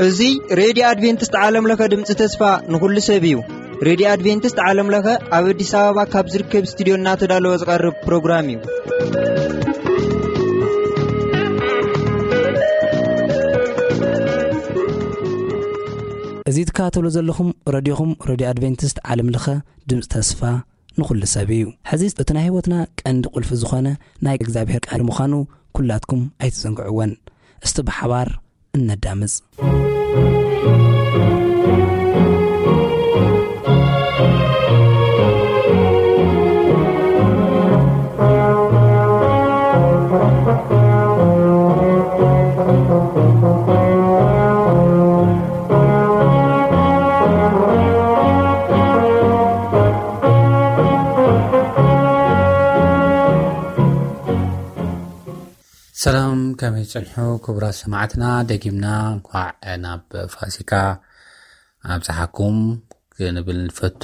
እዚ ሬድዮ ኣድቬንቲስት ዓለም ለኸ ድምፂ ተስፋ ንኹሉ ሰብ እዩ። ሬድዮ ኣድቬንቲስት ዓለም ለኸ ኣብ ኣዲስ ኣበባ ካብ ዝርከብ ስቱዲዮ እናተዳለወ ዝቐርብ ፕሮግራም እዩ። እዚ ትከታተሉ ዘለኹም ረድዮኹም ሬድዮ ኣድቬንቲስት ዓለም ለኸ ድምፂ ተስፋ ንኹሉ ሰብ እዩ። ሕዚ እቲ ናይ ህይወትና ቀንዲ ቁልፊ ዝኾነ ናይ እግዚኣብሔር ቃል ምዃኑ ኩላትኩም ኣይትዘንግዕወን። እስቲ ብሓባር እነዳምፅ። ሰላም፣ ከመይ ጽንሑ ክቡራት ሰማዕትና? ደጊምና እንኳዕ ናብ ፋሲካ ኣብጽሓኩም ክንብል ንፈቱ።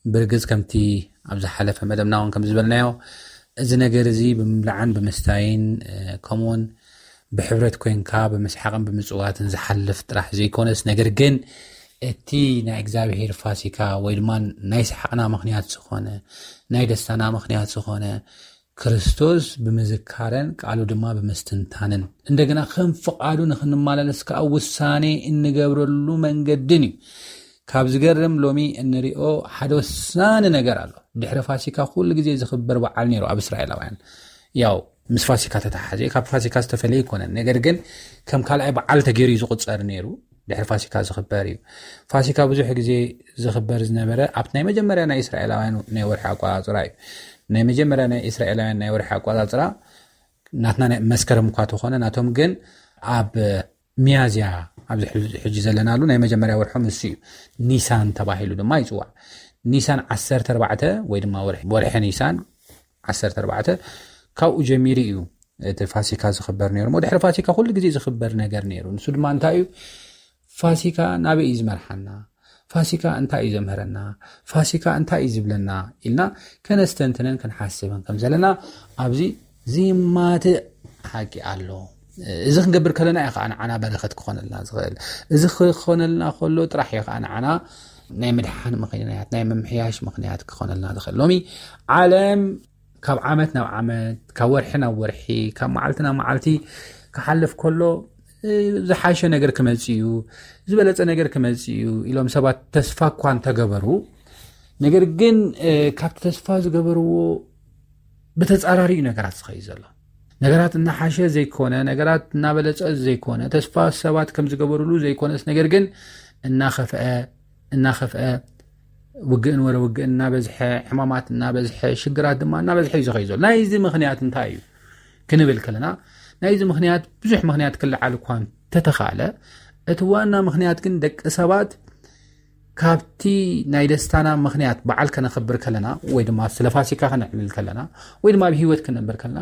ብርግጽ ከምቲ ኣብ ዝሓለፈ መደብና እውን ከም ዝበልናዮ፣ እዚ ነገር እዚ ብምብላዕን ብምስታይን፣ እ፣ ከምኡውን ብሕብረት ኮንካ ብምስሓቕን ብምጽዋትን ዝሓልፍ ጥራሕ ዘይኮነስ፣ ነገር ግን እቲ ናይ እግዚኣብሔር ፋሲካ ወይ ድማ ናይ ሰሓቕና ምኽንያት ዝኾነ፣ ናይ ደስታና ምኽንያት ዝኾነ ክርስቶስ ብምዝካረን ቃሉ ድማ ብምስትንታንን፣ እንደገና ከም ፍቓዱ ንኽንመላለስ ከኣ ውሳኔ እንገብረሉ መንገድን እዩ። ካብ ዝገርም ሎሚ እንሪኦ ሓደ ወሳኒ ነገር ኣሎ። ድሕሪ ፋሲካ ኩሉ ግዜ ዝኽበር በዓል ነይሩ ኣብ እስራኤላውያን። ያው ምስ ፋሲካ ተተሓሓዘ፣ ካብ ፋሲካ ዝተፈለየ ኣይኮነን። ነገር ግን ከም ካልኣይ በዓል ተገይሩ እዩ ዝቑጸር ነይሩ። ድሕሪ ፋሲካ ዝኽበር እዩ። ፋሲካ ብዙሕ ግዜ ዝኽበር ዝነበረ ኣብቲ ናይ መጀመርያ ናይ እስራኤላውያን ናይ ወርሒ ኣቆጻጽራ እዩ። ናይ መጀመርያ ናይ እስራኤላውያን ናይ ወርሒ ኣቆጻጽራ ናትና ናይ መስከረም እኳ ተኾነ፣ ናቶም ግን ኣብ ሚያዝያ፣ ኣብዚ ሕዚ፣ ሕጂ ዘለናሉ ናይ መጀመርያ ወርሖም እሱ እዩ። ኒሳን ተባሂሉ ድማ ይጽዋዕ። ኒሳን ዓሰርተ ኣርባዕተ ወይ ድማ ወርሒ፣ ወርሒ ኒሳን ዓሰርተ ኣርባዕተ ካብኡ ጀሚሩ እዩ እቲ ፋሲካ ዝኽበር ነይሩ። እሞ ድሕሪ ፋሲካ ኩሉ ግዜ ዝኽበር ነገር ነይሩ። ንሱ ድማ እንታይ እዩ? ፋሲካ ናበይ እዩ ዝመርሓና? ፋሲካ እንታይ እዩ ዘምህረና? ፋሲካ እንታይ እዩ ዝብለና? ኢልና ከነስተንትንን ክንሓስብን ከም ዘለና ኣብዚ ዚማትእ ሓቂ ኣሎ። እዚ ክንገብር ከለና እዩ ከዓ ንዓና በረኸት ክኾነልና ዝኽእል። እዚ ክኾነልና ከሎ ጥራሕ እዩ ከዓ ንዓና ናይ ምድሓን ምኽንያት፣ ናይ ምምሕያሽ ምኽንያት ክኾነልና ዝኽእል። ሎሚ ዓለም ካብ ዓመት ናብ ዓመት፣ ካብ ወርሒ ናብ ወርሒ፣ ካብ መዓልቲ ናብ መዓልቲ ክሓልፍ ከሎ፣ እ፣ ዝሓሸ ነገር ክመጽእ እዩ፣ ዝበለጸ ነገር ክመጽእ እዩ ኢሎም ሰባት ተስፋ እኳ እንተገበሩ፣ ነገር ግን፣ እ፣ ካብቲ ተስፋ ዝገበርዎ ብተጻራሪ እዩ ነገራት ዝኸይድ ዘሎ። ነገራት እናሓሸ ዘይኮነ፣ ነገራት እናበለጸ ዘይኮነ፣ ተስፋ ሰባት ከም ዝገበሩሉ ዘይኮነስ፣ ነገር ግን እናኸፍአ፣ እናኸፍአ፣ ውግእን ወረ ውግእን እናበዝሐ፣ ሕማማት እናበዝሐ፣ ሽግራት ድማ እናበዝሐ እዩ ዝኸይድ ዘሎ። ናይዚ ምኽንያት እንታይ እዩ ክንብል ከለና፣ ናይዚ ምኽንያት ብዙሕ ምኽንያት ክለዓል እኳ እንተተኻእለ፣ እቲ ዋና ምኽንያት ግን ደቂ ሰባት ካብቲ ናይ ደስታና ምኽንያት በዓል ከነኽብር ከለና፣ ወይ ድማ ስለ ፋሲካ ከነዕልል ከለና፣ ወይ ድማ ኣብ ህይወት ክንነብር ከለና፣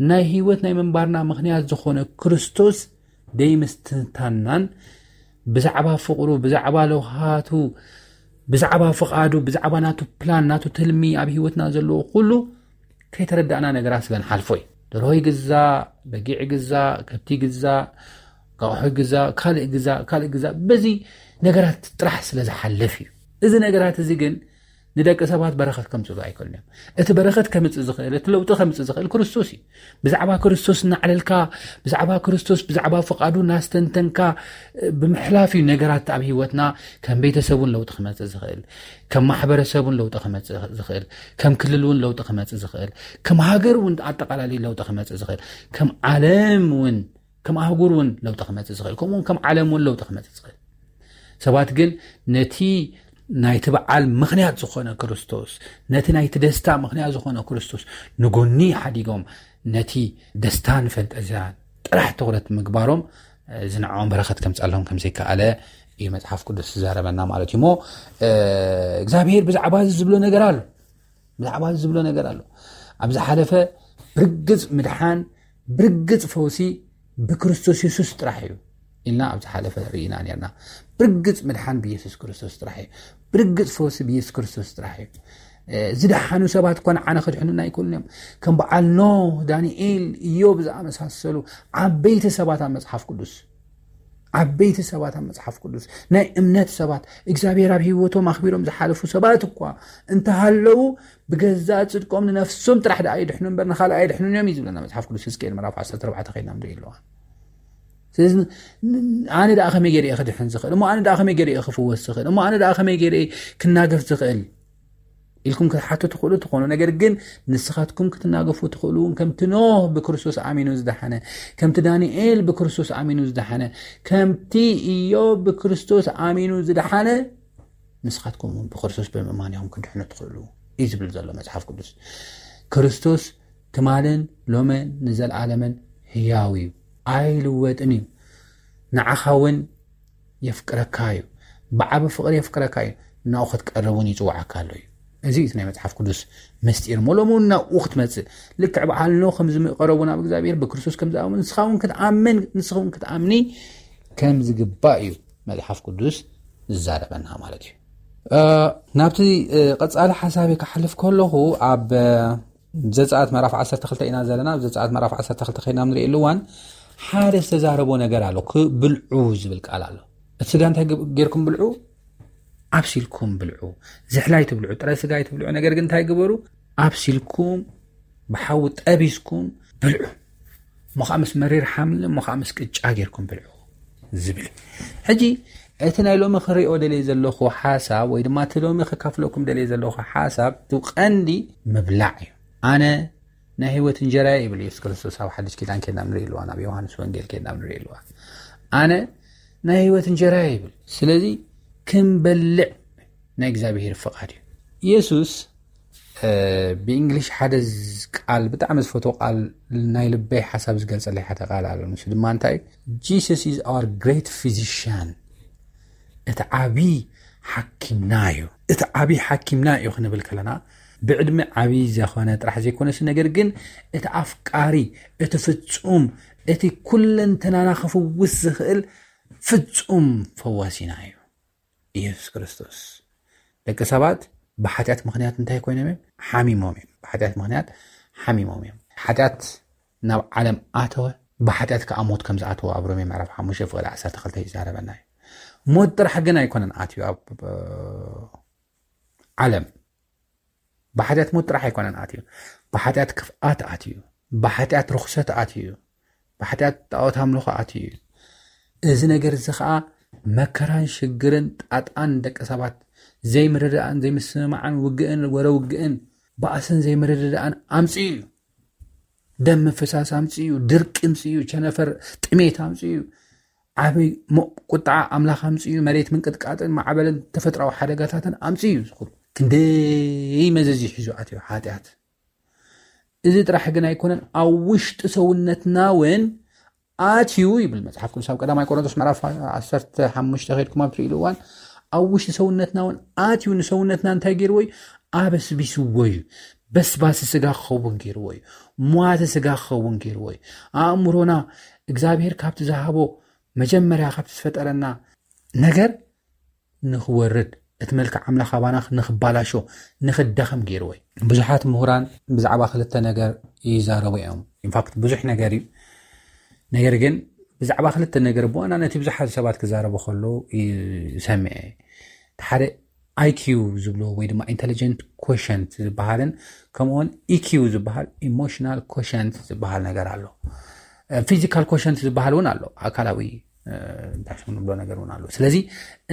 ናይ ህይወት ናይ ምንባርና ምኽንያት ዝኾነ ክርስቶስ ደይምስትንታንናን ብዛዕባ ፍቕሩ፣ ብዛዕባ ለውሃቱ፣ ብዛዕባ ፍቓዱ፣ ብዛዕባ ናቱ ፕላን፣ ናቱ ትልሚ ኣብ ህይወትና ዘለዎ ኩሉ ከይተረዳእና ነገራት ስለ ንሓልፎ እዩ። ደርሆ ይግዛእ፣ በጊዕ ይግዛእ፣ ከብቲ ይግዛእ፣ ኣቕሑ ይግዛእ፣ ካልእ ይግዛእ፣ ካልእ ይግዛእ። በዚ ነገራት ጥራሕ ስለ ዝሓልፍ እዩ። እዚ ነገራት እዚ ግን ንደቂ ሰባት በረኸት ከምጽእሉ ኣይክእሉን እዮም። እቲ በረኸት ከምጽእ ዝኽእል፣ እቲ ለውጢ ከምጽእ ዝኽእል ክርስቶስ እዩ። ብዛዕባ ክርስቶስ እናዕለልካ፣ ብዛዕባ ክርስቶስ፣ ብዛዕባ ፍቓዱ እናስተንተንካ፣ እ፣ ብምሕላፍ እዩ ነገራት ኣብ ህይወትና ከም ቤተሰብ እውን ለውጢ ክመጽእ ዝኽእል፣ ከም ማሕበረሰብ እውን ለውጢ ክመጽእ ዝኽእል፣ ከም ክልል እውን ለውጢ ክመጽእ ዝኽእል፣ ከም ሃገር እውን ኣጠቓላሊ ለውጢ ክመጽእ ዝኽእል፣ ከም ዓለም እውን፣ ከም ኣህጉር እውን ለውጢ ክመጽእ ዝኽእል፣ ከምኡ እውን ከም ዓለም እውን ለውጢ ክመጽእ ዝኽእል። ሰባት ግን ነቲ ናይቲ በዓል ምኽንያት ዝኾነ ክርስቶስ፣ ነቲ ናይቲ ደስታ ምኽንያት ዝኾነ ክርስቶስ ንጎኒ ሓዲጎም፣ ነቲ ደስታን ፈንጠዝያን ጥራሕ ትኹረት ምግባሮም፣ እዚ ንዕኦም በረኸት ከምጽኣሎም ከም ዘይከኣለ እዩ መጽሓፍ ቅዱስ ዝዛረበና ማለት እዩ። እሞ፣ እ፣ እግዚኣብሔር ብዛዕባ እዚ ዝብሎ ነገር ኣሎ። ብዛዕባ እዚ ዝብሎ ነገር ኣሎ። ኣብ ዝሓለፈ ብርግጽ ምድሓን፣ ብርግጽ ፈውሲ ብክርስቶስ የሱስ ጥራሕ እዩ ኢልና ኣብ ዝሓለፈ ርኢና ነርና። ብርግጽ ምድሓን ብየሱስ ክርስቶስ ጥራሕ እዩ። ብርግጽ ፈውሲ ብየሱስ ክርስቶስ ጥራሕ እዩ። ዝደሓኑ ሰባት እኳ ንዓነ ክድሕኑና ኣይክእሉን እዮም። ከም በዓል ኖህ፣ ዳንኤል፣ ኢዮብ ዝኣመሳሰሉ ዓበይቲ ሰባት ኣብ መፅሓፍ ቅዱስ ዓበይቲ ሰባት ኣብ መፅሓፍ ቅዱስ ናይ እምነት ሰባት እግዚኣብሔር ኣብ ህይወቶም ኣኽቢሮም ዝሓለፉ ሰባት እኳ እንተሃለዉ ብገዛእ ፅድቆም ንነፍሶም ጥራሕ ደኣ ይድሕኑ እምበር ንኻልእ ኣይድሕኑን እዮም እዩ ዝብለና መፅሓፍ ቅዱስ። ሕዝቅኤል ምዕራፍ ዓሰርተ ኣርባዕተ ከይድና ንርኢ ኣለዋ። ስለዚ ኣነ ደኣ ከመይ ገይረ ክድሕን ዝኽእል እሞ ኣነ ደኣ ከመይ ገይረ ክፍወስ ዝኽእል እሞ ኣነ ደኣ ከመይ ገይረ ክናገፍ ዝኽእል ኢልኩም ክትሓቱ ትኽእሉ ትኾኑ። ነገር ግን ንስኻትኩም ክትናገፉ ትኽእሉ እውን ከምቲ ኖህ ብክርስቶስ ኣሚኑ ዝደሓነ፣ ከምቲ ዳንኤል ብክርስቶስ ኣሚኑ ዝደሓነ፣ ከምቲ ኢዮብ ብክርስቶስ ኣሚኑ ዝደሓነ ንስኻትኩም እውን ብክርስቶስ ብምእማን ኢኹም ክድሕኑ ትኽእሉ እዩ ዝብል ዘሎ መፅሓፍ ቅዱስ። ክርስቶስ ትማልን ሎመን ንዘለኣለምን ህያው እዩ፣ ኣይልወጥን እዩ። ንዓኻ እውን የፍቅረካ እዩ። ብዓቢ ፍቕሪ የፍቅረካ እዩ። ናብኡ ክትቀርብ እውን ይጽውዓካ ኣሎ እዩ። እዚ እዩ ናይ መጽሓፍ ቅዱስ ምስጢር እሞ ሎሚ እውን ናብኡ ክትመጽእ ልክዕ በዓል ኖህ ከም ዝምቀረቡ ናብ እግዚኣብሔር ብክርስቶስ ከም ዝኣምኑ ንስኻ እውን ክትኣምን ንስኻ እውን ክትኣምኒ ከም ዝግባእ እዩ መጽሓፍ ቅዱስ ዝዛረበና ማለት እዩ። ናብቲ ቀጻሊ ሓሳብ ክሓልፍ ከለኹ ኣብ ዘፀኣት ምዕራፍ ዓሰርተ ክልተ ኢና ዘለና። ኣብ ዘፀኣት ምዕራፍ ዓሰርተ ክልተ ከይና ንሪእሉ እዋን ሓደ ዝተዛረቦ ነገር ኣሎ። ብልዑ ዝብል ቃል ኣሎ። እቲ ስጋ እንታይ ገይርኩም ብልዑ? ኣብሲልኩም ብልዑ። ዝሕላይ ትብልዑ፣ ጥረ ስጋ ትብልዑ። ነገር ግን እንታይ ግበሩ? ኣብሲልኩም ብሓዊ ጠቢስኩም ብልዑ። እሞ ከዓ ምስ መሪር ሓምሊ እሞ ከዓ ምስ ቅጫ ገይርኩም ብልዑ ዝብል። ሕጂ እቲ ናይ ሎሚ ክሪኦ ደልየ ዘለኹ ሓሳብ ወይ ድማ እቲ ሎሚ ከካፍለኩም ደልየ ዘለኹ ሓሳብ እቲ ቀንዲ ምብላዕ እዩ። ኣነ ናይ ህይወት እንጀራ ይብል የሱስ ክርስቶስ ኣብ ሓድሽ ኪዳን ኬድና ንርኢ ኣለዋ፣ ናብ ዮሃንስ ወንጌል ኬድና ንርኢ ኣለዋ። ኣነ ናይ ህይወት እንጀራ ይብል። ስለዚ ክንበልዕ ናይ እግዚኣብሔር ፍቓድ እዩ። የሱስ ብእንግሊሽ ሓደ ቃል ብጣዕሚ ዝፈትዎ ቃል ናይ ልበይ ሓሳብ ዝገልፀለይ ሓደ ቃል ኣሎ። ንሱ ድማ እንታይ እዩ? Jesus is our great physician። እቲ ዓብዪ ሓኪምና እዩ። እቲ ዓብዪ ሓኪምና እዩ ክንብል ከለና ብዕድመ ዓብዪ ዘኾነ ጥራሕ ዘይኮነስ ነገር ግን እቲ ኣፍቃሪ፣ እቲ ፍጹም፣ እቲ ኩለንተናና ክፍውስ ዝኽእል ፍጹም ፈዋሲና እዩ። ኢየሱስ ክርስቶስ። ደቂ ሰባት ብሓጢኣት ምኽንያት እንታይ ኮይኖም እዮም? ሓሚሞም እዮም። ብሓጢኣት ምኽንያት ሓሚሞም እዮም። ሓጢኣት ናብ ዓለም ኣተወ፣ ብሓጢኣት ከዓ ሞት ከም ዝኣተወ ኣብ ሮሜ ምዕራፍ ሓሙሽተ ፍቕዲ ዓሰርተ ክልተ ይዛረበና እዩ። ሞት ጥራሕ ግን ኣይኮነን ኣትዩ ኣብ ዓለም። ብሓጢኣት ሞት ጥራሕ ኣይኮነን ኣትዩ። ብሓጢኣት ክፍኣት ኣትዩ፣ ብሓጢኣት ርኽሰት ኣትዩ፣ ብሓጢኣት ጣዖት ኣምልኾ ኣትዩ እዩ። እዚ ነገር እዚ ኸዓ መከራን ሽግርን ጣጣን ደቂ ሰባት ዘይምርድኣን ዘይምስምማዕን ውግእን ወረ ውግእን ባእስን ዘይምርድዳእን ኣምፅኡ እዩ። ደም ምፍሳስ ኣምፅኡ እዩ። ድርቂ ኣምፅኡ እዩ። ቸነፈር ጥሜት ኣምፅኡ እዩ። ዓብይ ቁጣዓ ኣምላኽ ኣምፅኡ እዩ። መሬት ምንቅጥቃጥን ማዕበልን ተፈጥራዊ ሓደጋታትን ኣምፅኡ እዩ። ዝኹሉ ክንደይ መዘዝ ሒዙ ኣትዩ ሓጢኣት። እዚ ጥራሕ ግን ኣይኮነን፣ ኣብ ውሽጢ ሰውነትና እውን ኣትዩ ይብል መፅሓፍ ቅዱስ ኣብ ቀዳማይ ቆሮንቶስ ምዕራፍ ዓሰርተ ሓሙሽተ ከይድኩም ኣብ ትርእሉ እዋን ኣብ ውሽጢ ሰውነትና እውን ኣትዩ ንሰውነትና እንታይ ገይርዎ እዩ? ኣበስቢስዎ እዩ። በስባሲ ስጋ ክኸውን ገይርዎ እዩ። ሟተ ስጋ ክኸውን ገይርዎ እዩ። ኣእምሮና እግዚኣብሔር ካብቲ ዝሃቦ መጀመርያ ካብቲ ዝፈጠረና ነገር ንኽወርድ እቲ መልክዕ ኣምላኽ ኣባና ንኽባላሾ ንኽዳኸም ገይርዎ እዩ። ብዙሓት ምሁራን ብዛዕባ ክልተ ነገር ይዛረቡ እዮም። ኢንፋክት ብዙሕ ነገር እዩ። ነገር ግን ብዛዕባ ክልተ ነገር ብዋናነት ብዙሓት ሰባት ክዛረቡ ከለዉ ይሰምዐ። እቲ ሓደ ኣይኪዩ ዝብልዎ ወይ ድማ ኢንተሊጀንት ኮሸንት ዝበሃልን ከምኡውን ኢኪዩ ዝበሃል ኢሞሽናል ኮሸንት ዝበሃል ነገር ኣሎ። ፊዚካል ኮሸንት ዝበሃል እውን ኣሎ፣ ኣካላዊ እንታይ ንብሎ ነገር እውን ኣሎ። ስለዚ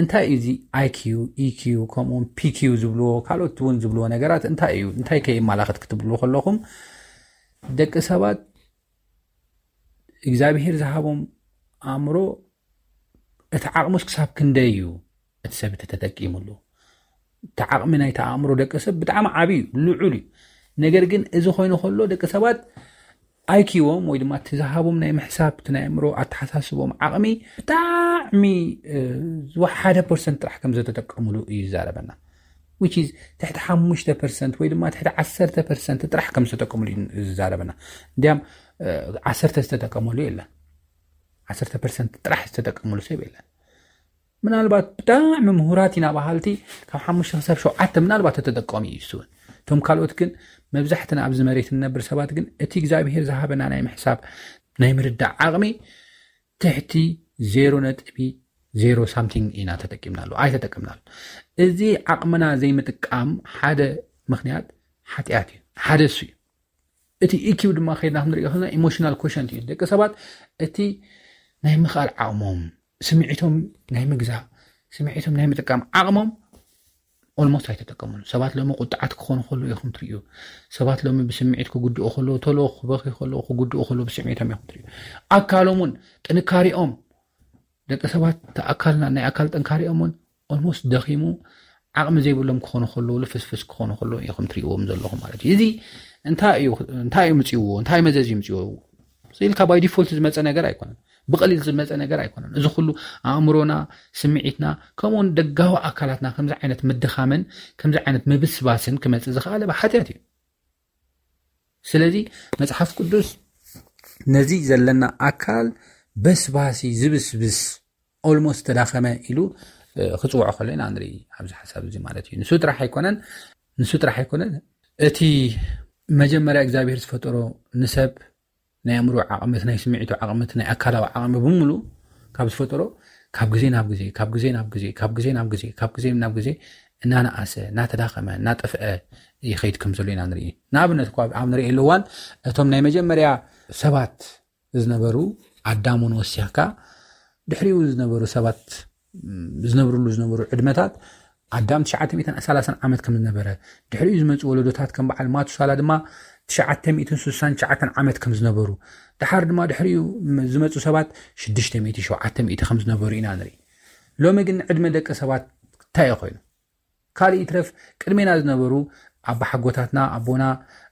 እንታይ እዩ እዚ ኣይኪዩ ኢኪዩ ከምኡውን ፒኪዩ ዝብልዎ ካልኦት እውን ዝብልዎ ነገራት እንታይ እዩ? እንታይ ከየማላኽት ክትብሉ ከለኹም ደቂ ሰባት እግዚኣብሄር ዝሃቦም ኣእምሮ እቲ ዓቕሙስ ክሳብ ክንደይ እዩ እቲ ሰብ እቲ ተጠቂሙሉ? እቲ ዓቕሚ ናይቲ ኣእምሮ ደቂ ሰብ ብጣዕሚ ዓብዪ እዩ፣ ልዑል እዩ። ነገር ግን እዚ ኮይኑ ከሎ ደቂ ሰባት ኣይኪዎም ወይ ድማ እቲ ዝሃቦም ናይ ምሕሳብ እቲ ናይ ኣእምሮ ኣተሓሳስቦም ዓቕሚ ብጣዕሚ ዝወሓደ ፐርሰንት ጥራሕ ከም ዘተጠቀሙሉ እዩ ዝዛረበና። Which is ትሕቲ ሓሙሽተ ፐርሰንት ወይ ድማ ትሕቲ ዓሰርተ ፐርሰንት ጥራሕ ከም ዝተጠቀሙሉ እዩ ዝዛረበና። እንዲያም ዓሰርተ ዝተጠቀመሉ የለን። ዓሰርተ ፐርሰንት ጥራሕ ዝተጠቀመሉ ሰብ የለን። ምናልባት ብጣዕሚ ምሁራት ኢና በሃልቲ ካብ ሓሙሽተ ክሳብ ሸውዓተ ምናልባት ተጠቀሙ እዩ እሱ እውን። እቶም ካልኦት ግን፣ መብዛሕትና ኣብዚ መሬት እንነብር ሰባት ግን፣ እቲ እግዚኣብሄር ዝሃበና ናይ ምሕሳብ፣ ናይ ምርዳእ ዓቕሚ ትሕቲ ዜሮ ነጥቢ ዜሮ ሳምቲንግ ኢና ተጠቂምናሉ ኣይተጠቀምናሉ። እዚ ዓቕምና ዘይምጥቃም ሓደ ምኽንያት ሓጢኣት እዩ። ሓደ እሱ እዩ። እቲ ኢኪው ድማ ከይድና ክንሪኦ ከለና ኢሞሽናል ኮሸንት እዩ። ደቂ ሰባት እቲ ናይ ምኽኣል ዓቕሞም፣ ስምዒቶም ናይ ምግዛእ፣ ስምዒቶም ናይ ምጥቃም ዓቕሞም ኦልሞስት ኣይተጠቀሙሉ። ሰባት ሎሚ ቁጥዓት ክኾኑ ከለዉ ኢኹም ትርእዩ። ሰባት ሎሚ ብስምዒት ክጉድኡ ከለዉ፣ ቶሎ ክበኽዩ ከለዉ፣ ክጉድኡ ከለዉ ብስምዒቶም ኢኹም ትርእዩ። ኣካሎም እውን፣ ጥንካሬኦም፣ ደቂ ሰባት፣ እቲ ኣካልና፣ ናይ ኣካል ጥንካሬኦም እውን ኦልሞስት ደኺሙ፣ ዓቕሚ ዘይብሎም ክኾኑ ከለዉ፣ ልፍስፍስ ክኾኑ ከለዉ ኢኹም ትርእይዎም ዘለኹም ማለት እዩ። እዚ እንታይ እዩ፣ እንታይ እዩ ምፅእዎ? እንታይ መዘዝ እዩ ምፅእዎ? ኢልካ ባይ ዲፎልት ዝመፀ ነገር ኣይኮነን። ብቐሊል ዝመፀ ነገር ኣይኮነን። እዚ ኩሉ ኣእምሮና፣ ስምዒትና፣ ከምኡውን ደጋዊ ኣካላትና ከምዚ ዓይነት ምድኻምን ከምዚ ዓይነት ምብስባስን ክመፅእ ዝኸኣለ ብሓጢኣት እዩ። ስለዚ መፅሓፍ ቅዱስ ነዚ ዘለና ኣካል በስባሲ፣ ዝብስብስ፣ ኦልሞስት ተዳኸመ ኢሉ፣ እ፣ ክፅውዖ ከሎ ኢና ንርኢ ኣብዚ ሓሳብ እዚ ማለት እዩ። ንሱ ጥራሕ ኣይኮነን፣ ንሱ ጥራሕ ኣይኮነን። እቲ መጀመርያ እግዚኣብሔር ዝፈጠሮ ንሰብ ናይ ኣእምሮ ዓቕሚ፣ እቲ ናይ ስምዒቱ ዓቕሚ፣ እቲ ናይ ኣካላዊ ዓቕሚ ብምሉእ ካብ ዝፈጠሮ፣ ካብ ግዜ ናብ ግዜ፣ ካብ ግዜ ናብ ግዜ፣ ካብ ግዜ ናብ ግዜ፣ ካብ ግዜ ናብ ግዜ እናነኣሰ፣ እናተዳኸመ፣ እናጠፍአ ይኸይድ ከም ዘሎ ኢና ንርኢ። ንኣብነት እኳ ኣብ ንርእየሉ እዋን፣ እቶም ናይ መጀመርያ ሰባት ዝነበሩ፣ ኣዳም እውን ወሲኽካ፣ ድሕሪኡ ዝነበሩ ሰባት፣ ም፣ ዝነብርሉ ዝነበሩ ዕድመታት፣ ኣዳም ትሽዓተ ሚእትን ሰላሳን ዓመት ከም ዝነበረ፣ ድሕሪኡ ዝመፁ ወለዶታት ከም በዓል ማቱሳላ ድማ ትሽዓተ ሚእትን ስሳን ትሽዓተን ዓመት ከም ዝነበሩ፣ ደሓር ድማ ድሕሪኡ ም-፣ ዝመፁ ሰባት ሽዱሽተ ሚእቲ፣ ሸውዓተ ሚእቲ ከም ዝነበሩ ኢና ንርኢ። ሎሚ ግን ዕድመ ደቂ ሰባት እንታይ እዩ ኮይኑ? ካልእ ይትረፍ፣ ቅድሜና ዝነበሩ ኣባሓጎታትና፣ ኣቦና፣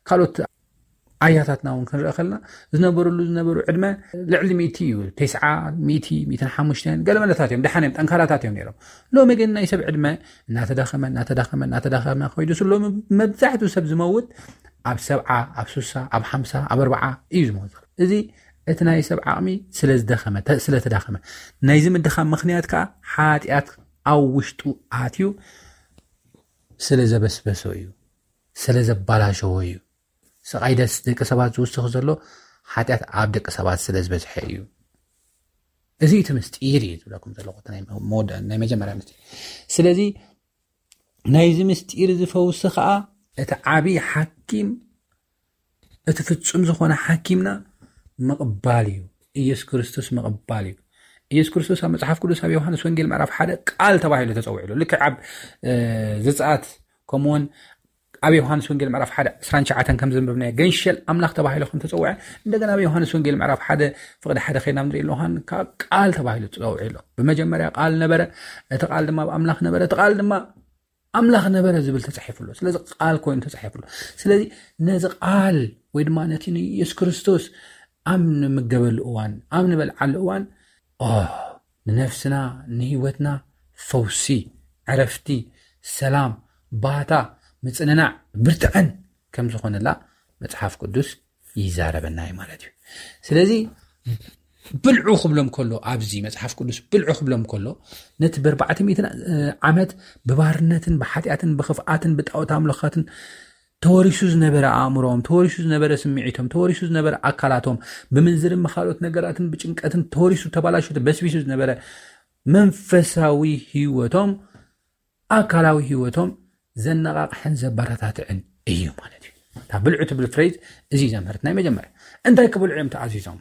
ካልኦት ኣያታትና እውን ክንርኢ ከለና፣ ዝነበሩሉ ዝነበሩ ዕድመ ልዕሊ ሚእቲ እዩ። ተስዓ፣ ሚእቲ፣ ሚእትን ሓሙሽተን፣ ገለ መለታት እዮም፣ ደሓን እዮም፣ ጠንካራታት እዮም ነይሮም። ሎሚ ግን ናይ ሰብ ዕድመ እናተዳኸመ፣ እናተዳኸመ፣ እናተዳኸመ ከይዱ፣ ሎሚ መብዛሕትኡ ሰብ ዝመውት ኣብ ሰብዓ፣ ኣብ ሱሳ፣ ኣብ ሓምሳ፣ ኣብ ኣርብዓ እዩ ዝመውት። እዚ እቲ ናይ ሰብ ዓቕሚ ስለ ዝደኸመ፣ ተ-፣ ስለ ተዳኸመ፣ ናይዚ ምድኻም ምኽንያት ከዓ ሓጢኣት ኣብ ውሽጡ ኣትዩ ስለ ዘበስበሶ እዩ፣ ስለ ዘባላሸዎ እዩ። ስቓይ ደስ ደቂ ሰባት ዝውስኽ ዘሎ ሓጢኣት ኣብ ደቂ ሰባት ስለ ዝበዝሐ እዩ። እዚ እቲ ምስጢር እዩ ዝብለኩም ዘለኹ፣ እቲ ናይ መወደ-፣ ናይ መጀመርያ ምስጢር። ስለዚ ናይዚ ምስጢር እዚ ፈውሲ ከዓ እቲ ዓብዪ ሓኪም፣ እቲ ፍጹም ዝኾነ ሓኪምና ምቕባል እዩ። ኢየሱስ ክርስቶስ ምቕባል እዩ። ኢየሱስ ክርስቶስ ኣብ መጽሓፍ ቅዱስ ኣብ ዮሃንስ ወንጌል ምዕራፍ ሓደ ቃል ተባሂሉ ተጸዊዑ ኣሎ። ልክዕ ኣብ፣ እ፣ ዘጸኣት፣ ከምኡውን ኣብ ዮሃንስ ወንጌል ምዕራፍ ሓደ ዕስራን ትሽዓተን ከም ዘንበብናዮ፣ ገንሸል ኣምላኽ ተባሂሉ ከም ተጸውዐ፣ እንደገና ኣብ ዮሃንስ ወንጌል ምዕራፍ ሓደ ፍቕዲ ሓደ ኸይድና ንርኢ ኣለኹ፣ ዮሃን ካብ ቃል ተባሂሉ ተጸውዑ ኣሎ። ብመጀመርያ ቃል ነበረ፣ እቲ ቃል ድማ ኣብ ኣምላኽ ነበረ፣ እቲ ቃል ድማ ኣምላኽ ነበረ ዝብል ተጻሒፉ ኣሎ። ስለዚ ቃል ኮይኑ ተጻሒፉ ኣሎ። ስለዚ ነዚ ቃል ወይ ድማ ነቲ ንኢየሱስ ክርስቶስ ኣብ ንምገበሉ እዋን፣ ኣብ ንበልዓሉ እዋን፣ ኦ፣ ንነፍስና፣ ንህይወትና ፈውሲ፣ ዕረፍቲ፣ ሰላም፣ ባታ፣ ምጽንናዕ፣ ብርትዐን ከም ዝኾነላ መጽሓፍ ቅዱስ ይዛረበና እዩ ማለት እዩ። ስለዚ ብልዑ ክብሎም ከሎ፣ ኣብዚ መጽሓፍ ቅዱስ ብልዑ ክብሎም ከሎ፣ ነቲ ብኣርባዕተ ሚእትን ዓመት ብባርነትን ብሓጢኣትን ብኽፍኣትን ብጣዖት ኣምልኻትን ተወሪሱ ዝነበረ ኣእምሮኦም፣ ተወሪሱ ዝነበረ ስምዒቶም፣ ተወሪሱ ዝነበረ ኣካላቶም፣ ብምንዝርን ብኻልኦት ነገራትን ብጭንቀትን ተወሪሱ፣ ተባላሹ፣ በስቢሱ ዝነበረ መንፈሳዊ ህይወቶም፣ ኣካላዊ ህይወቶም ዘነቓቕሕን ዘበረታትዕን እዩ ማለት እዩ። እታ ብልዑ ትብል ፍሬዝ እዚ ዘምህርት ናይ መጀመርያ። እንታይ ክብልዑ እዮም ተኣዚዞም?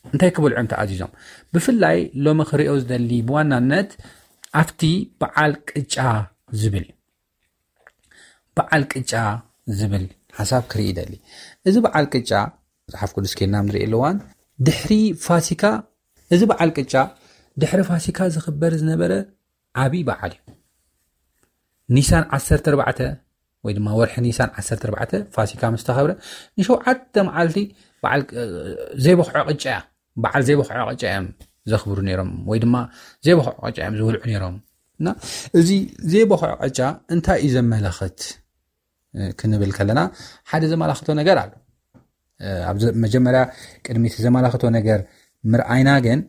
እንታይ ክብልዑ እዮም ተኣዚዞም? ብፍላይ ሎሚ ክሪኦ ዝደሊ ብዋናነት ኣብቲ በዓል ቅጫ ዝብል እዩ። በዓል ቅጫ ዝብል ሓሳብ ክርኢ ይደሊ። እዚ በዓል ቅጫ መጽሓፍ ቅዱስ ኬድና ንርኢ ኣለዋን፣ ድሕሪ ፋሲካ፣ እዚ በዓል ቅጫ ድሕሪ ፋሲካ ዝኽበር ዝነበረ ዓብዪ በዓል እዩ። ኒሳን ዓሰርተ ኣርባዕተ ወይ ድማ ወርሒ ኒሳን ዓሰርተ ኣርባዕተ ፋሲካ ምስ ተኸብረ፣ ንሸውዓተ መዓልቲ በዓል፣ እ፣ ዘይበኽዖ ቅጫ እያ። በዓል ዘይበኽዖ ቅጫ እዮም ዘኽብሩ ነይሮም፣ ወይ ድማ ዘይበኽዖ ቅጫ እዮም ዝበልዑ ነይሮም። እና እዚ ዘይበኽዖ ቅጫ እንታይ እዩ ዘመላኽት፣ እ፣ ክንብል ከለና፣ ሓደ ዘመላኽቶ ነገር ኣሎ። እ፣ ኣብ ዘ-፣ መጀመርያ ቅድሚ እቲ ዘመላኽቶ ነገር ምርኣይና ግን፣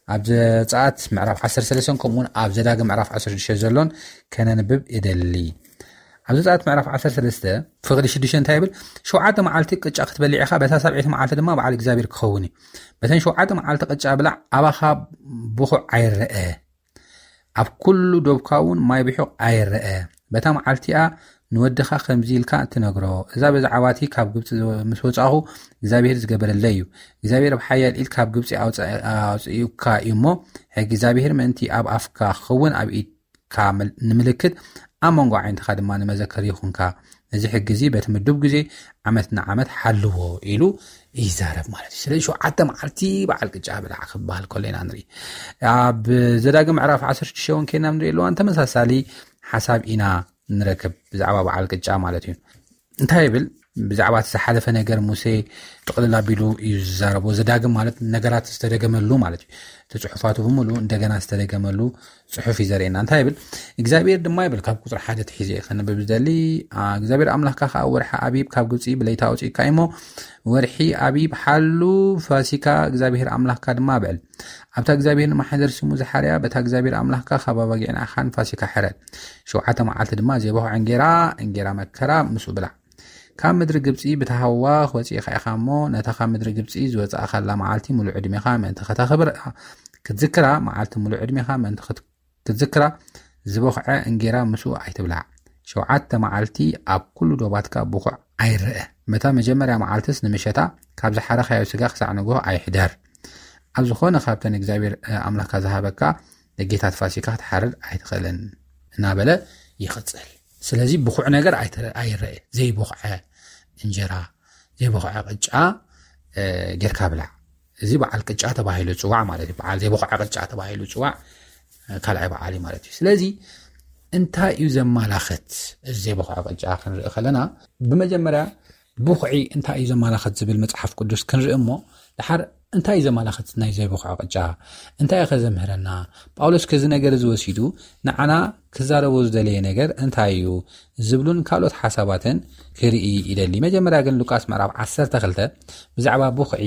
ኣብ ዘጸኣት ምዕራፍ ዓሰርተ ሰለስተን ከምኡውን ኣብ ዘዳግም ምዕራፍ ዓሰርተ ሽዱሽተ ዘሎን ከነንብብ እደሊ። ኣብ ዘጸኣት ምዕራፍ ዓሰርተ ሰለስተ ፍቕዲ ሽዱሽተ እንታይ ይብል? ሸውዓተ መዓልቲ ቅጫ ክትበልዕ ኢኻ፣ በታ ሰብዐይቲ መዓልቲ ድማ በዓል እግዚኣብሔር ክኸውን እዩ። በተን ሸውዓተ መዓልቲ ቅጫ ብላዕ፣ ኣባኻ ብኹዕ ኣይረአ፣ ኣብ ኩሉ ዶብካ እውን ማይ ብሑቕ ኣይረአ። በታ መዓልቲኣ ንወድኻ ከምዚ ኢልካ ትነግሮ፣ እዛ ብዛዕባቲ ካብ ግብፂ ምስ ወፃኹ እግዚኣብሔር ዝገበረለይ እዩ። እግዚኣብሔር ብሓያል ኢድ ካብ ግብፂ ኣውፅእካ እዩ እሞ፣ ሕጊ እግዚኣብሔር ምእንቲ ኣብ ኣፍካ ክኸውን ኣብ ኢድካ ንምልክት ኣብ መንጎ ዓይንትኻ ድማ ንመዘከር ይኹንካ። እዚ ሕጊ እዚ በቲ ምዱብ ግዜ ዓመት ንዓመት ሓልዎ ኢሉ ይዛረብ ማለት እዩ። ስለዚ ሸውዓተ መዓልቲ በዓል ቅጫ ብላዕ ክበሃል ከሎ ኢና ንርኢ። ኣብ ዘዳግም ምዕራፍ ዓሰርተ ሽዱሽተ እውን ከይና ንርኢ ኣለዋን ተመሳሳሊ ሓሳብ ኢና ንረክብ ብዛዕባ በዓል ቅጫ ማለት እዩ። እንታይ ይብል? ብዛዕባ እቲ ዝሓለፈ ነገር ሙሴ ጥቕልል ኣቢሉ እዩ ዝዛረቦ። ዘዳግም ማለት ነገራት ዝተደገመሉ ማለት እዩ። እቲ ጽሑፋቱ ብምሉእ እንደገና ዝተደገመሉ ጽሑፍ እዩ ዘርእየና። እንታይ ይብል? እግዚኣብሔር ድማ ይብል፣ ካብ ቁፅሪ ሓደ ትሒዘ ከንብብ ዝደሊ እግዚኣብሔር ኣምላኽካ ከዓ ወርሒ ኣቢብ ካብ ግብፂ ብለይታ ኣውፅእካ እሞ፣ ወርሒ ኣቢብ ሓሉ ፋሲካ እግዚኣብሔር ኣምላኽካ ድማ ብዕል። ኣብታ እግዚኣብሔር ንማሕደር ስሙ ዝሓርያ በታ እግዚኣብሔር ኣምላኽካ ካብ ኣባጊዕን ኣኻን ፋሲካ ሕረድ። ሸውዓተ መዓልቲ ድማ ዘይበኹዐ እንጌራ፣ እንጌራ መከራ ምስኡ ብላዕ። ካብ ምድሪ ግብፂ ብተሃዋኽ ወፂእኻ ኢኻ እሞ፣ ነታ ካብ ምድሪ ግብፂ ዝወፃእኻላ መዓልቲ ሙሉእ ዕድሜኻ ምእንቲ ከተኽብር ክትዝክራ፣ መዓልቲ ሙሉእ ዕድሜኻ ምእንቲ ክትዝክራ ዝበኹዐ እንጌራ ምስኡ ኣይትብላዕ። ሸውዓተ መዓልቲ ኣብ ኩሉ ዶባትካ ብኹዕ ኣይረአ። መታ መጀመርያ መዓልትስ ንምሸታ ካብ ዝሓረኻዮ ስጋ ክሳዕ ንግሆ ኣይሕደር። ኣብ ዝኾነ ካብተን እግዚኣብሔር ኣምላኽካ ዝሃበካ ደጌታት ፋሲካ ክትሓርድ ኣይትኽእልን እናበለ ይቕፅል። ስለዚ ብኹዕ ነገር ኣይረአ፣ ዘይቦኽዐ እንጀራ፣ ዘይቦኽዐ ቅጫ ጌርካ ብላዕ። እዚ በዓል ቅጫ ተባሂሉ ፅዋዕ ማለት እዩ። በዓል ዘይቦኽዐ ቅጫ ተባሂሉ ፅዋዕ ካልኣይ በዓል እዩ ማለት እዩ። ስለዚ እንታይ እዩ ዘማላኽት? እዚ ዘይቦኽዐ ቅጫ ክንርኢ ከለና ብመጀመርያ ብኹዒ እንታይ እዩ ዘማላኽት ዝብል መፅሓፍ ቅዱስ ክንርኢ እሞ፣ ድሓር እንታይ እዩ ዘማላኽት ናይ ዘይቦኽዐ ቅጫ? እንታይ እዩ ከዘምህረና? ጳውሎስ ከዚ ነገር እዚ ወሲዱ ንዓና ክዛረቦ ዝደለየ ነገር እንታይ እዩ ዝብሉን ካልኦት ሓሳባትን ክርኢ ይደሊ። መጀመርያ ግን ሉቃስ ምዕራፍ ዓሰርተ ክልተ ብዛዕባ ብኹዒ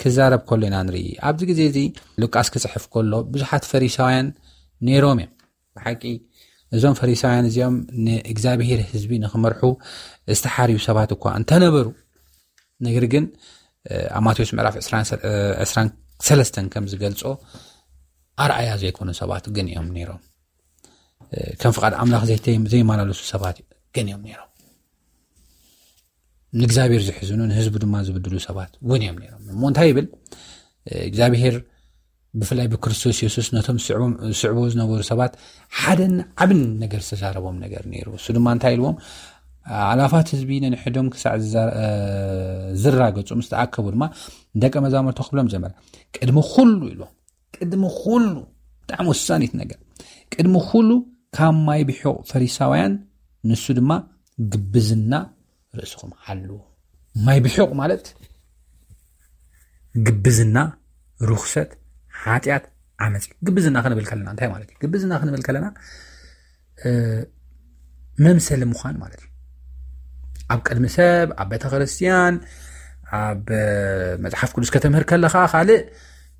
ክዛረብ ከሎ ኢና ንርኢ። ኣብዚ ግዜ እዚ ሉቃስ ክጽሕፍ ከሎ ብዙሓት ፈሪሳውያን ነይሮም እዮም። ብሓቂ እዞም ፈሪሳውያን እዚኦም ንእግዚኣብሔር ህዝቢ ንክመርሑ ዝተሓርዩ ሰባት እኳ እንተነበሩ፣ ነገር ግን ኣብ ማቴዎስ ምዕራፍ ዕስራን ሰለስተን ከም ዝገልጾ ኣርኣያ ዘይኮኑ ሰባት ግን እዮም ነይሮም። ከም ፍቓድ ኣምላኽ ዘይማላለሱ ሰባት ግን እዮም ነይሮም። ንእግዚኣብሔር ዝሕዝኑ ንህዝቡ ድማ ዝብድሉ ሰባት እውን እዮም ነይሮም። እሞ እንታይ ይብል እግዚኣብሔር? ብፍላይ ብክርስቶስ የሱስ ነቶም ዝስዕቦ ዝነበሩ ሰባት ሓደን ዓብን ነገር ዝተዛረቦም ነገር ነይሩ። እሱ ድማ እንታይ ኢልዎም? ኣላፋት ህዝቢ ነንሕዶም ክሳዕ ዝራገጹ ምስ ተኣከቡ ድማ ደቀ መዛሙርቱ ክብሎም ጀመረ። ቅድሚ ኩሉ ኢልዎም፣ ቅድሚ ኩሉ፣ ብጣዕሚ ወሳኒት ነገር፣ ቅድሚ ኩሉ ካብ ማይ ብሑቕ ፈሪሳውያን ንሱ ድማ ግብዝና ርእስኹም ሓልዉ። ማይ ብሑቕ ማለት ግብዝና፣ ርኹሰት፣ ሓጢኣት፣ ዓመፅ። ግብዝና ክንብል ከለና እንታይ ማለት እዩ? ግብዝና ክንብል ከለና መምሰሊ ምዃን ማለት እዩ። ኣብ ቅድሚ ሰብ፣ ኣብ ቤተ ክርስቲያን፣ ኣብ መፅሓፍ ቅዱስ ከተምህር ከለኻ ካልእ፣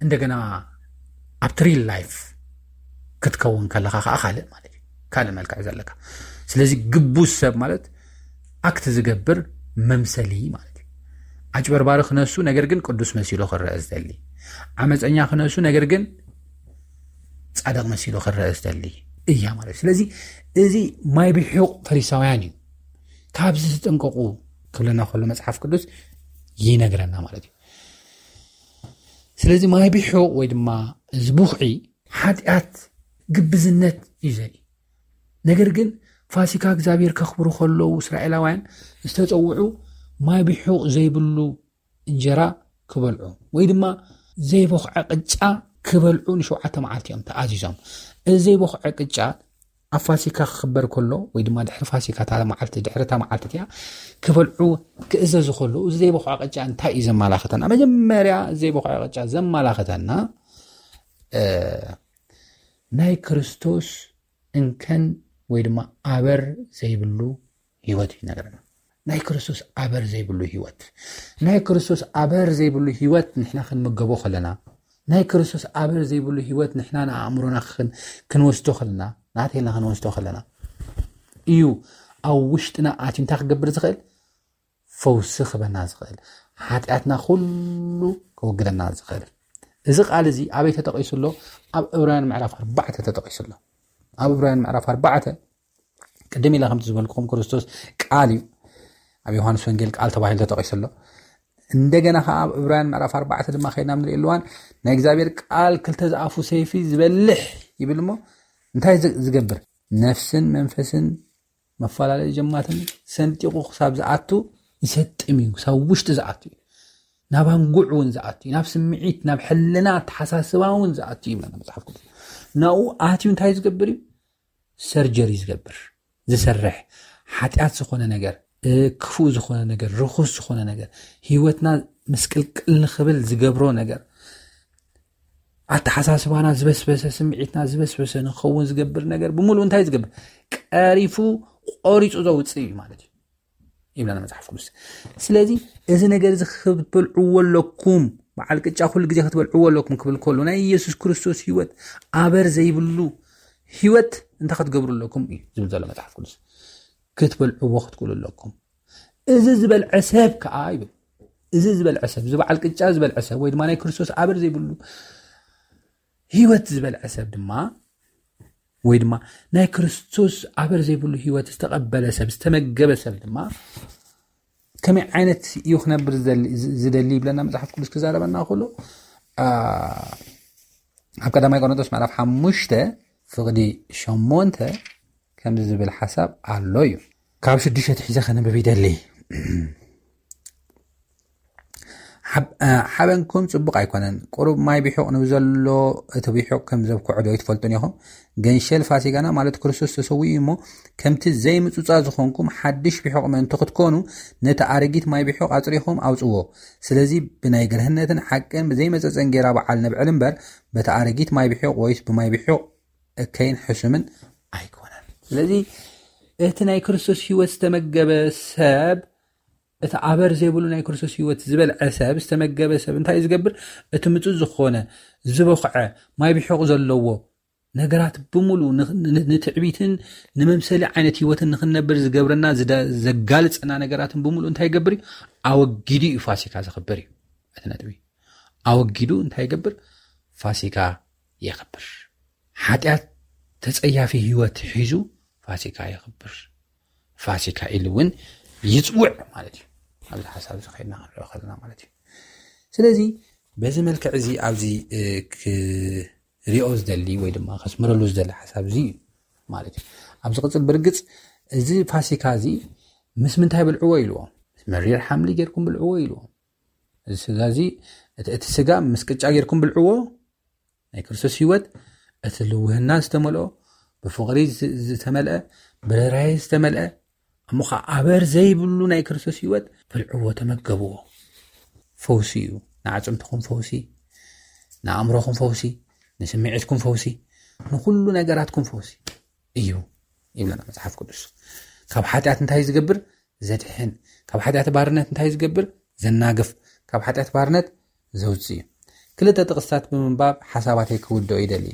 እንደገና ኣብቲ ሪል ላይፍ ክትከውን ከለኻ ከዓ ካልእ ማለት እዩ። ካልእ መልክዕ ዘለካ። ስለዚ ግቡዝ ሰብ ማለት ኣክት ዝገብር መምሰሊ ማለት እዩ። ኣጭበርባሪ ክነሱ ነገር ግን ቅዱስ መሲሉ ክረአ ዝደሊ፣ ዓመፀኛ ክነሱ ነገር ግን ጻድቕ መሲሉ ክረአ ዝደሊ እያ ማለት። ስለዚ እዚ ማይ ብሑቕ ፈሪሳውያን እዩ። ካብዚ ተጠንቀቑ ክብለና ከሎ መጽሓፍ ቅዱስ ይነግረና ማለት እዩ። ስለዚ ማይ ብሑቕ ወይ ድማ እዚ ብኹዒ ሓጢኣት፣ ግብዝነት እዩ ዘርኢ። ነገር ግን ፋሲካ እግዚኣብሔር ከኽብሩ ከለዉ እስራኤላውያን ዝተጸውዑ ማይ ብሑቕ ዘይብሉ እንጀራ ክበልዑ ወይ ድማ ዘይቦኽዐ ቅጫ ክበልዑ ንሸውዓተ መዓልቲ እዮም ተኣዚዞም። እዚ ዘይቦኽዐ ቅጫ ኣብ ፋሲካ ክኽበር ከሎ ወይ ድማ ድሕሪ ፋሲካ እታ መዓልቲ፣ ድሕሪ እታ መዓልቲ እቲኣ ክበልዑ ክእዘዙ ከለዉ፣ እዚ ዘይቦኽዐ ቅጫ እንታይ እዩ ዘመላኽተና? መጀመርያ እዚ ዘይቦኽዐ ቅጫ ዘመላኽተና ናይ ክርስቶስ እንከን ወይ ድማ ኣበር ዘይብሉ ህይወት እዩ ይነግረና። ናይ ክርስቶስ ኣበር ዘይብሉ ህይወት፣ ናይ ክርስቶስ ኣበር ዘይብሉ ህይወት ንሕና ክንምገቦ ከለና፣ ናይ ክርስቶስ ኣበር ዘይብሉ ህይወት ንሕና ንኣእምሮና ክንወስዶ ከለና፣ ንኣቴልና ክንወስዶ ከለና እዩ ኣብ ውሽጥና ኣትዩ እንታይ ክገብር ዝኽእል? ፈውሲ ክበና ዝኽእል፣ ሓጢኣትና ኩሉ ከወግደና ዝኽእል። እዚ ቃል እዚ ኣበይ ተጠቒሱ ኣሎ? ኣብ ዕብራውያን ምዕራፍ ኣርባዕተ ተጠቒሱ ኣሎ። ኣብ ዕብራውያን ምዕራፍ ኣርባዕተ ቅድም ኢለ ከምቲ ዝበልኩኹም ክርስቶስ ቃል እዩ። ኣብ ዮሃንስ ወንጌል ቃል ተባሂሉ ተጠቒሱ ኣሎ። እንደገና ከዓ ኣብ ዕብራውያን ምዕራፍ ኣርባዕተ ድማ ከይድና ንርኢ ኣለዋን ናይ እግዚኣብሔር ቃል ክልተ ዝኣፉ ሰይፊ ዝበልሕ ይብል እሞ እንታይ ዝ- ዝገብር? ነፍስን መንፈስን መፈላለዩ ጀማትን ሰንጢቑ ክሳብ ዝኣቱ ይሰጥም እዩ። ክሳብ ውሽጢ ዝኣቱ እዩ። ናብ ኣንጉዕ እውን ዝኣቱ እዩ። ናብ ስምዒት፣ ናብ ሕልና ኣተሓሳስባ እውን ዝኣቱ እዩ ይብለና መፅሓፍ ቅዱስ። ናብኡ ኣትዩ እንታይ ዝገብር እዩ? ሰርጀሪ ዝገብር፣ ዝሰርሕ፣ ሓጢኣት ዝኾነ ነገር፣ ክፉእ ዝኾነ ነገር፣ ርኹስ ዝኾነ ነገር፣ ህይወትና ምስቅልቅል ንኽብል ዝገብሮ ነገር፣ ኣተሓሳስባና ዝበስበሰ፣ ስምዒትና ዝበስበሰ ንኸውን ዝገብር ነገር ብምሉእ እንታይ ዝገብር? ቀሪፉ፣ ቆሪፁ ዘውፅእ እዩ ማለት እዩ ይብለና መፅሓፍ ቅዱስ። ስለዚ እዚ ነገር እዚ ክትበልዕዎ ኣለኩም፣ በዓል ቅጫ ኩሉ ግዜ ክትበልዕዎ ኣለኩም ክብል ከሎ ናይ ኢየሱስ ክርስቶስ ህይወት፣ ኣበር ዘይብሉ ህይወት እንታይ ክትገብሩ ኣለኩም እዩ ዝብል ዘሎ መፅሓፍ ቅዱስ። ክትበልዕዎ ክትክእሉ ኣለኩም። እዚ ዝበልዐ ሰብ ከዓ ይብል፣ እዚ ዝበልዐ ሰብ፣ እዚ በዓል ቅጫ ዝበልዐ ሰብ ወይ ድማ ናይ ክርስቶስ ኣበር ዘይብሉ ህይወት ዝበልዐ ሰብ ድማ ወይ ድማ ናይ ክርስቶስ ኣበር ዘይብሉ ህይወት ዝተቐበለ ሰብ፣ ዝተመገበ ሰብ ድማ ከመይ ዓይነት እዩ ክነብር ዝደሊ ይብለና መፅሓፍ ቅዱስ ክዛረበና ከሎ ኣብ ቀዳማይ ቆሮንቶስ ምዕራፍ ሓሙሽተ ፍቕዲ ሸሞንተ ከምዚ ዝብል ሓሳብ ኣሎ እዩ። ካብ ሽዱሽተ ትሒዘ ከነብብ ይደሊ። ሓበንኩም ፅቡቕ ኣይኮነን። ቁሩብ ማይ ቢሑቕ ንብዘሎ እቲ ቢሑቕ ከም ዘብክዖ ዶ ይትፈልጡን ኢኹም? ገንሸል ፋሲጋና ማለት ክርስቶስ ተሰዊኡ እሞ ከምቲ ዘይምፁፃ ዝኾንኩም ሓድሽ ቢሑቕ ምእንቲ ክትኮኑ ነቲ ኣረጊት ማይ ቢሑቕ ኣፅሪኹም ኣውፅዎ። ስለዚ ብናይ ግርህነትን ሓቅን ብዘይመፀፀን ጌራ በዓል ነብዕል እምበር በቲ ኣረጊት ማይ ቢሑቕ ወይስ ብማይ ቢሑቕ እከይን ሕሱምን ኣይኮነን። ስለዚ እቲ ናይ ክርስቶስ ህይወት ዝተመገበ ሰብ እቲ ኣበር ዘይብሉ ናይ ክርስቶስ ህይወት ዝበልዐ ሰብ ዝተመገበ ሰብ እንታይ ዝገብር? እቲ ምፁ ዝኾነ ዝበኽዐ ማይ ቢሑቕ ዘለዎ ነገራት ብምሉ ንትዕቢትን ንመምሰሊ ዓይነት ህይወትን ንክንነብር ዝገብረና ዘጋልፀና ነገራትን ብምሉ እንታይ ይገብር እዩ? ኣወጊዱ እዩ ፋሲካ ዘኽብር እዩ። እቲ ነጥቢ ኣወጊዱ እንታይ ይገብር? ፋሲካ የኽብር። ሓጢኣት ተፀያፊ ህይወት ሒዙ ፋሲካ የኽብር። ፋሲካ ኢሉ እውን ይፅውዕ ማለት እዩ። ኣብዚ ሓሳብ እዚ ከይድና ክንሪኦ ከለና ማለት እዩ። ስለዚ በዚ መልክዕ እዚ ኣብዚ ክሪኦ ዝደሊ ወይ ድማ ከስምረሉ ዝደሊ ሓሳብ እዚ እዩ ማለት እዩ። ኣብዚ ቅፅል ብርግፅ እዚ ፋሲካ እዚ ምስ ምንታይ ብልዕዎ ኢልዎ? ምስ መሪር ሓምሊ ጌርኩም ብልዕዎ ኢልዎ። እዚ ስጋ እዚ እቲ ስጋ ምስ ቅጫ ጌርኩም ብልዕዎ። ናይ ክርስቶስ ህይወት እቲ ልውህና ዝተመልኦ፣ ብፍቕሪ ዝተመልአ፣ ብርህራሄ ዝተመልአ፣ እሞ ኸዓ ኣበር ዘይብሉ ናይ ክርስቶስ ህይወት ብልዕዎ፣ ተመገብዎ። ፈውሲ እዩ። ንዓፅምትኹም ፈውሲ፣ ንኣእምሮኹም ፈውሲ፣ ንስምዒትኩም ፈውሲ፣ ንኩሉ ነገራትኩም ፈውሲ እዩ ይብለና መፅሓፍ ቅዱስ። ካብ ሓጢኣት እንታይ ዝገብር? ዘድሕን። ካብ ሓጢኣት ባርነት እንታይ ዝገብር? ዘናግፍ። ካብ ሓጢኣት ባርነት ዘውፅእ እዩ። ክልተ ጥቕስታት ብምንባብ ሓሳባተይ ክውድኦ ይደሊ።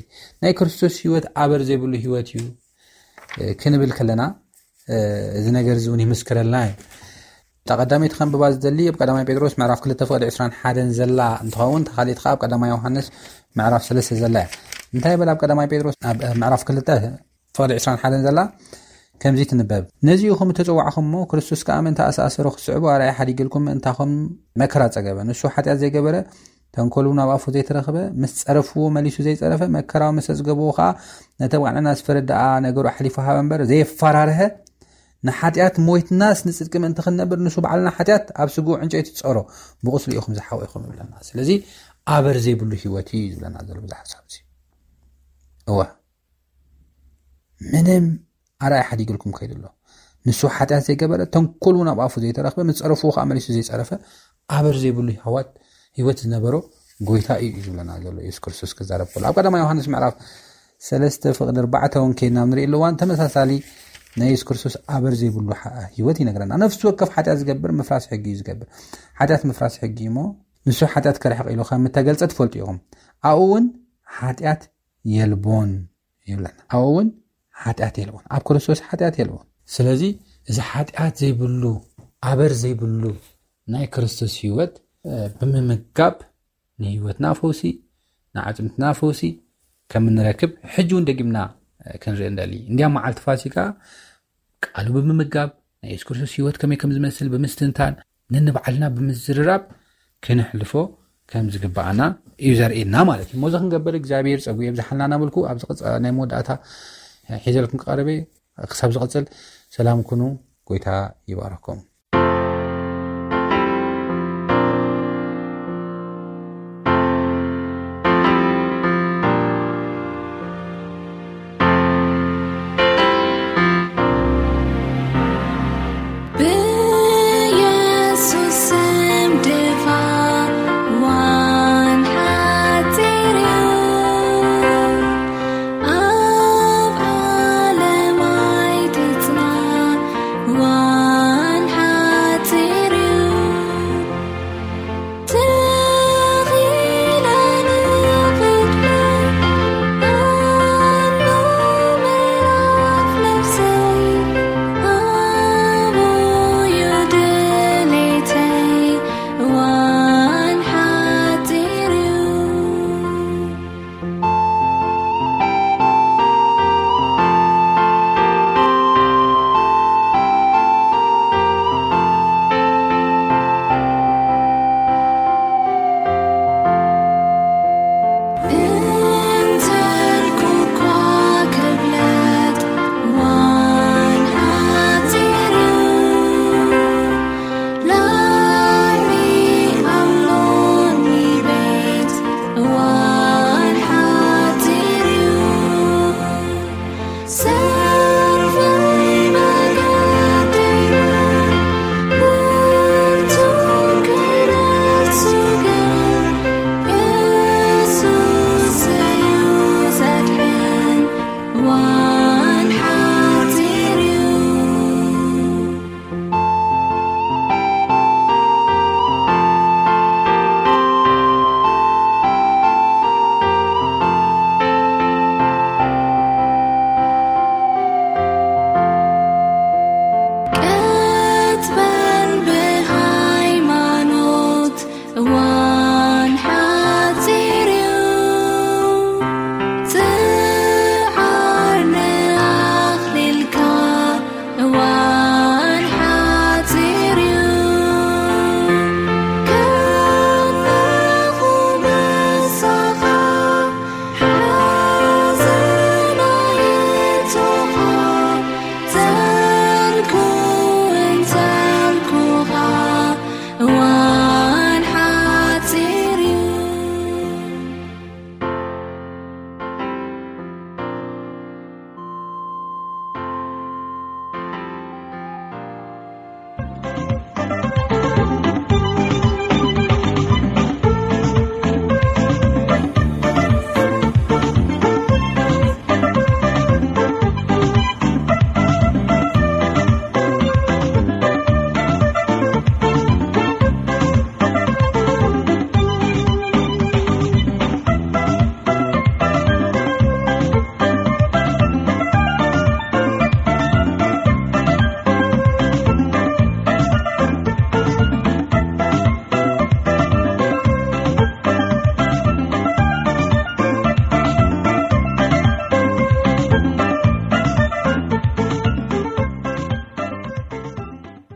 ናይ ክርስቶስ ህይወት ኣበር ዘይብሉ ህይወት እዩ ክንብል ከለና እዚ ነገር እዚ እውን ይምስክረልና እዩ። እታ ቀዳመይቲ ከንብባ ዝደሊ ኣብ ቀዳማይ ጴጥሮስ ምዕራፍ ክልተ ፍቕዲ ዕስራን ሓደን ዘላ እንትኸውን፣ ተኻሊት ከዓ ኣብ ቀዳማይ ዮሃንስ ምዕራፍ ሰለስተ ዘላ እያ። እንታይ ይብል ኣብ ቀዳማይ ጴጥሮስ ኣብ ምዕራፍ ክልተ ፍቕዲ ዕስራን ሓደን ዘላ ከምዚ ትንበብ። ነዚ ኢኹም እተጸዋዕኹም እሞ፣ ክርስቶስ ከኣ ምእንቲ ኣሰኣሰሮ ክትስዕቡ ኣርኣያ ሓዲግልኩም ምእንታኹም መከራ ጸገበ። ንሱ ሓጢኣት ዘይገበረ፣ ተንኮሉ ናብ ኣፉ ዘይተረኽበ፣ ምስ ጸረፍዎ መሊሱ ዘይጸረፈ፣ መከራዊ መሰ ዝገብዎ ከኣ ነተባዕልና ዝፈረድ ደኣ ነገሩ ኣሕሊፉ ሃበ እምበር፣ ዘየፈራርሀ፣ ንሓጢኣት ሞይትናስ ንጽድቂ ምእንቲ ክንነብር ንሱ ባዕልና ሓጢኣት ኣብ ስግኡ ዕንጨይቲ ጸሮ፣ ብቑስሉ ኢኹም ዝሓወይኹም ይብለና። ስለዚ ኣበር ዘይብሉ ህይወት እዩ ዝብለና ዘሎ ብዚ ሓሳብ እዚ። እወ። ምንም ኣርኣያ ሓዲግልኩም ከይዱ ኣሎ። ንሱ ሓጢኣት ዘይገበረ፣ ተንኮል እውን ኣብ ኣፉ ዘይተረኽበ፣ ምስ ጸረፍዎ ከኣ መሊሱ ዘይጸረፈ፣ ኣበር ዘይብሉ ህይወት ዝነበሮ ጎይታ እዩ ዝብለና ዘሎ የሱስ ክርስቶስ ክዛረብ ከሎ። ኣብ ቀዳማይ ዮሃንስ ምዕራፍ ሰለስተ ፍቕዲ ኣርባዕተ እውን ከይድና ንርኢ ኣለዋን ተመሳሳሊ ናይ የሱስ ክርስቶስ ኣበር ዘይብሉ ሓ- ህይወት ይነግረና። ነፍሲ ወከፍ ሓጢኣት ዝገብር ምፍራስ ሕጊ እዩ ዝገብር። ሓጢኣት ምፍራስ ሕጊ እዩ እሞ ንሱ ሓጢኣት ከርሕቕ ኢሉ ከም እተገልጸ ትፈልጡ ኢኹም። ኣብኡ እውን ሓጢኣት የልቦን ይብለና። ኣብኡ እውን ሓጢኣት የልቦን፣ ኣብ ክርስቶስ ሓጢኣት የልቦን። ስለዚ እዚ ሓጢኣት ዘይብሉ ኣበር ዘይብሉ ናይ ክርስቶስ ህይወት ብምምጋብ ንህይወትና ፈውሲ፣ ንዓጽምትና ፈውሲ ከም እንረክብ ሕጂ እውን ደጊምና ክንርኢ እንደሊ። እንዲያ መዓልቲ ፋሲካ ቃሉ ብምምጋብ ናይ የሱስ ክርስቶስ ህይወት ከመይ ከም ዝመስል ብምስትንታን ነንባዕልና ብምዝርራብ ክንሕልፎ ከም ዝግባኣና እዩ ዘርእየና ማለት እዩ። ሞዚ ክንገብር እግዚኣብሔር ጸጉ የብዝሓልና እናበልኩ ኣብዚ ናይ መወዳእታ ሒዘልኩም ክቐርበ ክሳብ ዝቐጽል ሰላም ኩኑ። ጎይታ ይባረኩም።